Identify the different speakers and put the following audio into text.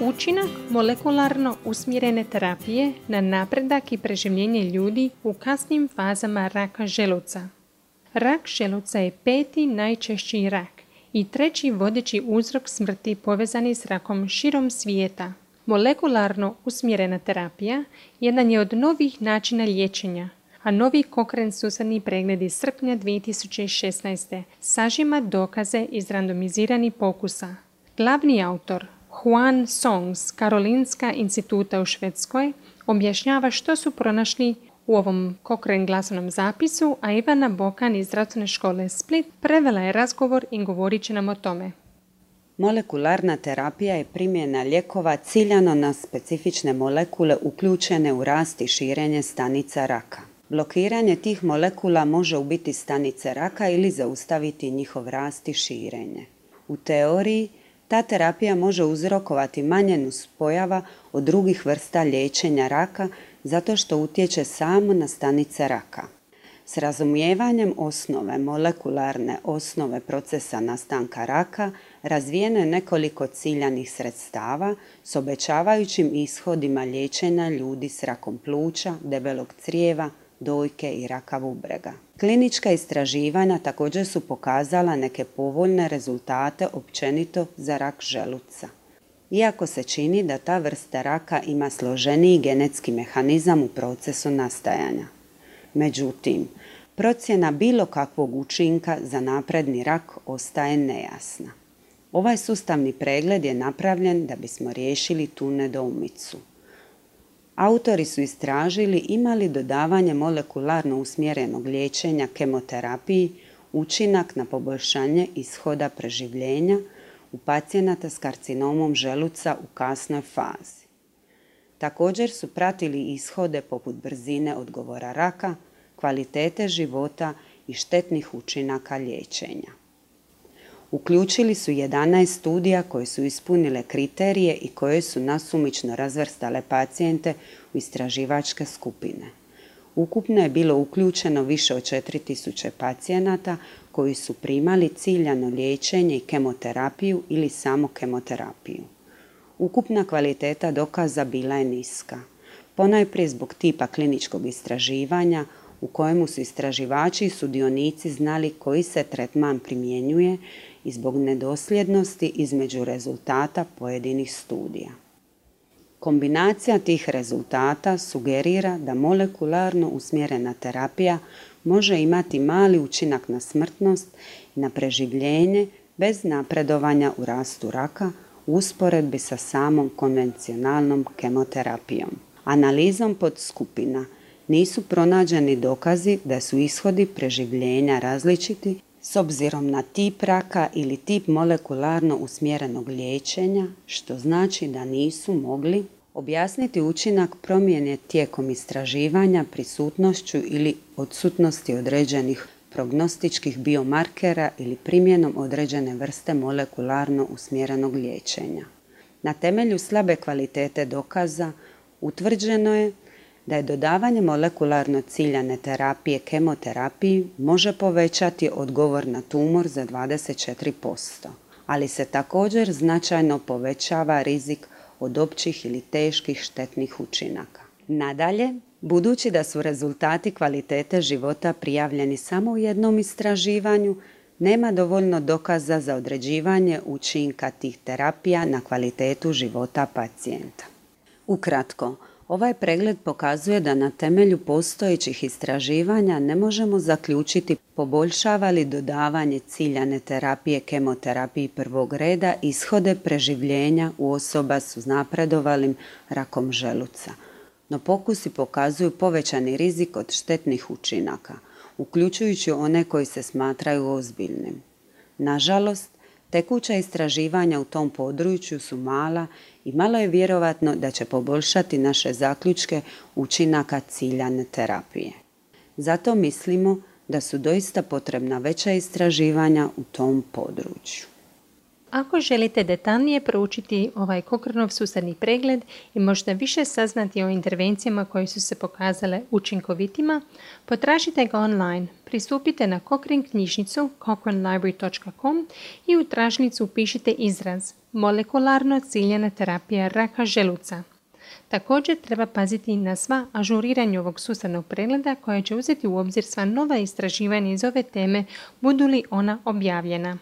Speaker 1: Učinak molekularno usmjerene terapije na napredak i preživljenje ljudi u kasnim fazama raka želuca. Rak želuca je 5. najčešći rak i 3. vodeći uzrok smrti povezani s rakom širom svijeta. Molekularno usmjerena terapija jedan je od novih načina liječenja, a novi Cochrane sustavni pregled iz srpnja 2016. sažima dokaze iz randomiziranih pokusa. Glavni autor, Juan Song s Karolinska instituta u Švedskoj, objašnjava što su pronašli u ovom Cochrane glasovnom zapisu, a Ivana Bokan iz Zdravstvene škole Split prevela je razgovor i govorit će nam o tome.
Speaker 2: Molekularna terapija je primjena lijekova ciljano na specifične molekule uključene u rast i širenje stanica raka. Blokiranje tih molekula može ubiti stanice raka ili zaustaviti njihov rast i širenje. U teoriji, ta terapija može uzrokovati manje nuspojava od drugih vrsta liječenja raka zato što utječe samo na stanice raka. S razumijevanjem osnove molekularne osnove procesa nastanka raka razvijeno je nekoliko ciljanih sredstava s obećavajućim ishodima liječenja ljudi s rakom pluća, debelog crijeva, dojke i raka bubrega. Klinička istraživanja također su pokazala neke povoljne rezultate općenito za rak želuca. Iako se čini da ta vrsta raka ima složeniji genetski mehanizam u procesu nastajanja. Međutim, procjena bilo kakvog učinka za napredni rak ostaje nejasna. Ovaj sustavni pregled je napravljen da bismo riješili tu nedoumicu. Autori su istražili ima li dodavanje molekularno usmjerenog liječenja kemoterapiji učinak na poboljšanje ishoda preživljenja u pacijenata s karcinomom želuca u kasnoj fazi. Također su pratili ishode poput brzine odgovora raka, kvalitete života i štetnih učinaka liječenja. Uključili su 11 studija koje su ispunile kriterije i koje su nasumično razvrstale pacijente u istraživačke skupine. Ukupno je bilo uključeno više od 4000 pacijenata koji su primali ciljano liječenje i kemoterapiju ili samo kemoterapiju. Ukupna kvaliteta dokaza bila je niska, ponajprije zbog tipa kliničkog istraživanja u kojemu su istraživači i sudionici znali koji se tretman primjenjuje i zbog nedosljednosti između rezultata pojedinih studija. Kombinacija tih rezultata sugerira da molekularno usmjerena terapija može imati mali učinak na smrtnost i na preživljenje bez napredovanja u rastu raka u usporedbi sa samom konvencionalnom kemoterapijom. Analizom podskupina nisu pronađeni dokazi da su ishodi preživljenja različiti s obzirom na tip raka ili tip molekularno usmjerenog liječenja, što znači da nisu mogli objasniti učinak promjene tijekom istraživanja prisutnošću ili odsutnosti određenih prognostičkih biomarkera ili primjenom određene vrste molekularno usmjerenog liječenja. Na temelju slabe kvalitete dokaza utvrđeno je da je dodavanje molekularno ciljane terapije kemoterapiji može povećati odgovor na tumor za 24%, ali se također značajno povećava rizik od općih ili teških štetnih učinaka. Nadalje, budući da su rezultati kvalitete života prijavljeni samo u jednom istraživanju, nema dovoljno dokaza za određivanje učinka tih terapija na kvalitetu života pacijenta. Ukratko, ovaj pregled pokazuje da na temelju postojećih istraživanja ne možemo zaključiti poboljšava li dodavanje ciljane terapije kemoterapiji prvog reda ishode preživljenja u osoba s uznapredovalim rakom želuca. No pokusi pokazuju povećani rizik od štetnih učinaka, uključujući one koji se smatraju ozbiljnim. Nažalost, tekuća istraživanja u tom području su mala i malo je vjerovatno da će poboljšati naše zaključke učinaka ciljane terapije. Zato mislimo da su doista potrebna veća istraživanja u tom području.
Speaker 1: Ako želite detaljnije proučiti ovaj Cochraneov sustavni pregled i možda više saznati o intervencijama koje su se pokazale učinkovitima, potražite ga online. Pristupite na Cochrane knjižnicu cochranelibrary.com i u tražnicu upišite izraz molekularno ciljana terapija raka želuca. Također treba paziti na sva ažuriranja ovog sustavnog pregleda koje će uzeti u obzir sva nova istraživanja iz ove teme, budu li ona objavljena.